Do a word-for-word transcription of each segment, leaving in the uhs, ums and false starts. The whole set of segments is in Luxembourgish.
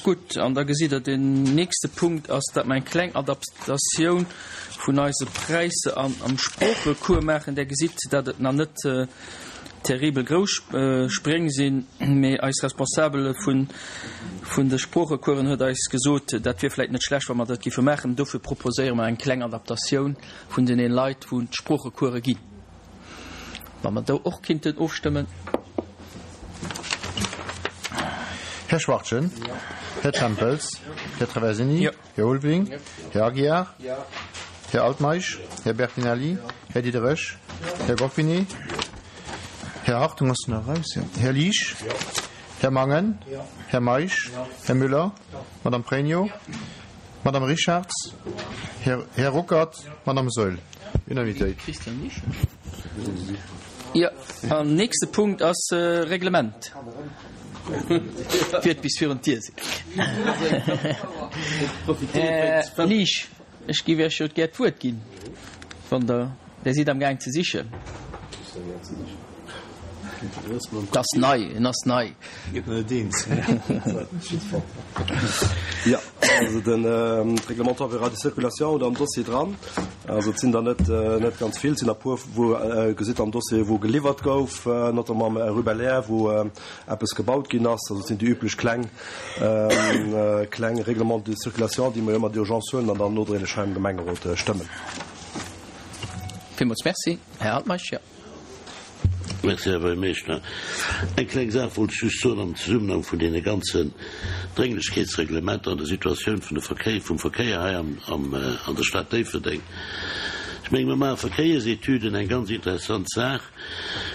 Gutt, an da gesitt Der, den nächste Punkt ass, datt mer eng kleng Adaptatioun vun eise Präisser an am Sproochecours maachen. Der gesitt, datt et nach net terribel grouss Spréng sinn, mee eis Responsabel vun vun de Sproochecoursen huet eis gesot, dat wier vläicht net schlecht, wa mer dat giffe maachen. Dofir proposéiere mer eng kleng Adaptatioun vun den Leit, wou d'Sproochecourse ginn. Wa mer do och kinnten ofstëmmen. Här Schwachtgen, Här Tempels, Här Traversini, Här Ulveling, Här Aguiar, Här Altmeisch, Här Bertinelli, Här Diderich, Här Goffinet, Här Hartung ass nach raus, jo. Här Liesch, Här Mangen, Här Meisch, Här Müller, Madame Pregno, Madame Richarz, Här, Här Ruckert, Madame Saeul. Unanimitéit. Jo, an nächste Punkt ass Reglement. Wiert bis virun d'Dier sinn. Här Liesch, ech géif Iech jo gär d'Wuert ginn, wann Der, Der sidd amgaang ze sichen. Et ass nei, en ass nei. Jo, also den Règlement temporaire de circulation oder am Dossier dran. Also et sinn der net net ganz vill, et sinn der puer wou gesitt am Dossier wou geliwwert gouf, notamment am Rue Belair wou eppes gebaut ginn ass. Also et sinn déi üblech kleng kleng Règlements de circulation, déi mer jo ëmmer d'urgence huelen an dann nodréiglech hei am Gemengerot stëmmen. Villmools Merci. Här Altmeisch, jo. Merci, Här Buergermeeschter. Eng kleng Saach wollt ech just soen am Zesummenhang vun deene ganzen Drénglechkeetsreglementer an der Situatioun vun de Verkéier, vum Verkéier hei am, am, an der Stad Déifferdeng. Ech menge mer maache Verkéiersetüden, eng ganz interessant Saach.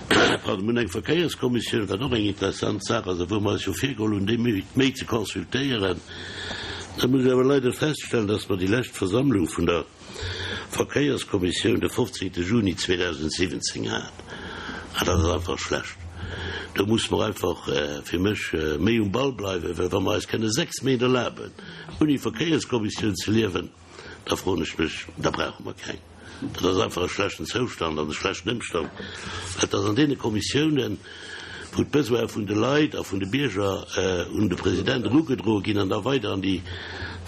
Pardon, mir hunn eng Verkéierskommissioun, wat och eng interessant Saach ass a wou mer eis jo virgeholl hunn, déi méi, méi ze consultéieren. Da muss ech awer leider feststellen, dass mer déi lescht Versammlung vun der Verkéierskommissioun de fofzéngte Juni zweedausendsiwwenzéng hat. An dat ass einfach schlecht. Do muss mer einfach fir mech méi um Ball bleiwen, well wa mer eis kënne sechs Méint erlaben, ouni Verkéierskommissioun ze liewen, da froen ech mech, da brauche mer keng. Dat ass einfach e schlechten Zoustand an e schlechten Ëmstand, well et ass an deene Kommissiounen, wou d'Besoine vun de Leit a vun de Bierger un de President erugedroe ginn an da weider an déi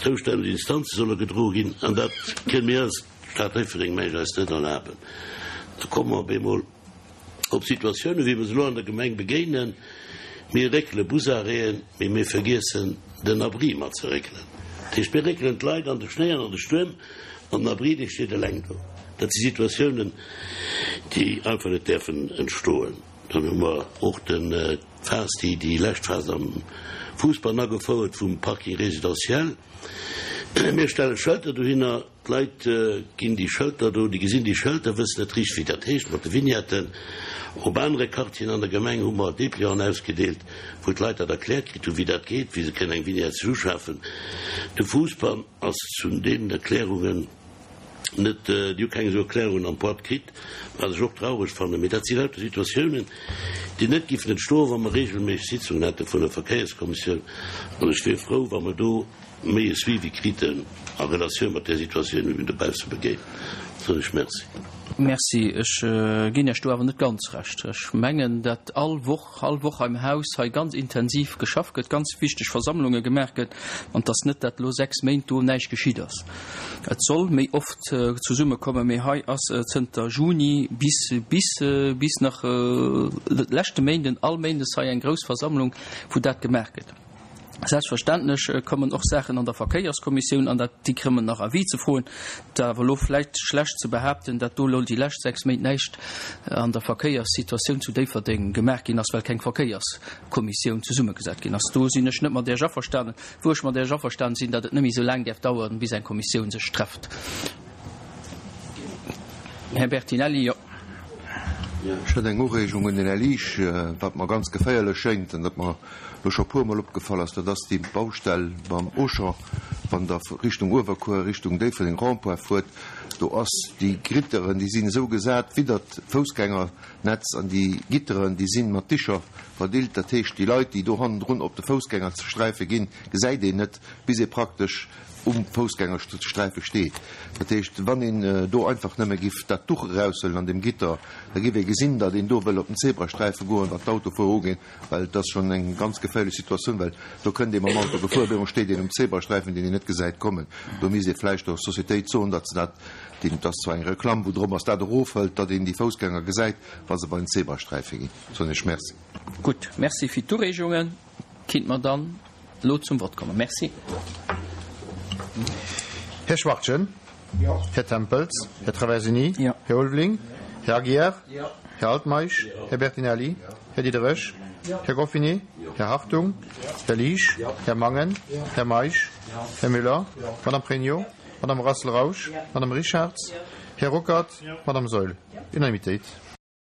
zoustänneg Instanze solle gedroe ginn. An dat kënne mir als Stad Déifferdeng, meng ech, eis net erlaben. Da komme mer op eemol op Situatiounen, wéi mer se elo an der Gemeng begéinen, Mir réckele Busarrêten, mee mir vergiessen den Abri mat ze réckelen. Dat heescht, mir réckelen d'Leit an de Schnéi an an de Stuerm an den Abri, dee steet eleng do. Dat si Situatiounen, déi einfach net däerfen entstoen. Dann hu mer och den d'Phas, déi déi lescht Phas am Fousbann agefouert vum Parking résidentiel. Mir stelle Schëlter dohinner, d'Leit ginn déi Schëlter do, déi gesinn déi Schëlter, wëssen net richteg wéi dat heescht mat de Vignetten. Op anere Quartieren an der Gemeng hu mer Déplianten ausgedeelt, wou d'Leit dat erkläert kritt hunn, wéi dat geet, wéi se kënnen eng Vignette sech uschafen. De Fousbann ass zu deenen Erklärungen net, déi hu keng esou Erklärungen am Boîte kritt, wat ech och traureg fannen. Mee dat si lauter Situatiounen, déi net giffen entstoen, wa mer regelméisseg Sitzungen hätte vun der Verkéierskommissioun. An ech wier frou, wa mer do méi e Suivi kriten a Relatioun mat där Situatioun, déi mir dobausse begéinen. Soen ech Merci. Merci. Ech ginn Iech do awer net ganz Recht. Ech mengen, datt all Woch, all Woch am Haus hei ganz intensiv geschafft gëtt, ganz wichteg Versammlunge gemaach gëtt, an dass net dat elo sechs Méint do näischt geschitt ass. Et soll méi oft zesummekommen, mee hei ass zënter Juni bis, bis, bis nach leschte Méinden all Méindes hei eng grouss Versammlung, wou dat gemaach gëtt. Selbstverständlech kommen och Saachen an der Verkéierskommissioun, an dat, déi krëmmen nach Avis ze froen. Et awer elo vläicht schlecht ze behaapten, datt do elo déi lescht sechs Méint näischt an der Verkéierssituatioun zu Déifferdeng gemaach ginn ass, well keng Verkéierskommissioun zesummegesat ginn ass. Do sinn ech net mat Iech averstanen. Wou ech mat Iech averstanen sinn, datt et net méi esou laang däerf daueren, bis eng Kommissioun sech trefft. Här Bertinelli, jo. Ech hätt eng Ureegung un den Här Liesch, wat mer ganz geféierlech schéngt an dat mer elo scho puermol opgefall ass, dat ass déi Baustell beim Auchan. Wa Wann Der Richtung Uewerkuer, Richtung Déifferdeng Rond-point fuert, do ass déi Gitteren, déi sinn esou gesat widdert d'Foussgängernetz an déi Gitteren, déi si mat Dicher verdeelt. Dat heescht, déi Leit, déi do hannendrun op de Foussgängersträife ginn, gesäit een net, bis ee praktesch um Foussgängersträife steet. Dat heescht, wann een do einfach nëmme giff dat Duch eraushuelen an deem Gitter, da giff ee gesinn, datt een do wëll op den Zebrasträife goen, wann d'Autofuerer uginn, well et ass schonn eng ganz geféierlech Situatioun, well do kënnt ee mam Auto gefuer, op eemol steet een um Zebrasträifen, deen een net gesäit kommen. Do misst ee vläicht der Societéit soen, datt se dat, deen, et ass zwar eng Reklamm, wou drop ass, dat erofhëlt, datt een déi Foussgänger gesäit, wa se bei den Zebrasträife ginn. Soen ech Merci. Gutt, Merci fir d'Ureegungen. Kinnt mer dann elo zum Vott kommen. Merci. Här Schwachtgen. Jo. Här Tempels. Jo. Här Traversini. Jo. Här Ulveling. Jo. Här Aguiar. Jo. Här Altmeisch. Jo. Här Bertinelli. Jo. Här Diderich. Jo. Här Goffinet. Jo. Här Hartung. Jo. Här Liesch. Jo. Här Mangen. Jo. Här Meisch. Jo. Här Müller. Jo. Madame Pregno. Jo. Madame Rassel-Rausch. Jo. Madame Richarz. Jo. Här Ruckert. Jo. Madame Saeul. Jo. Unanimitéit.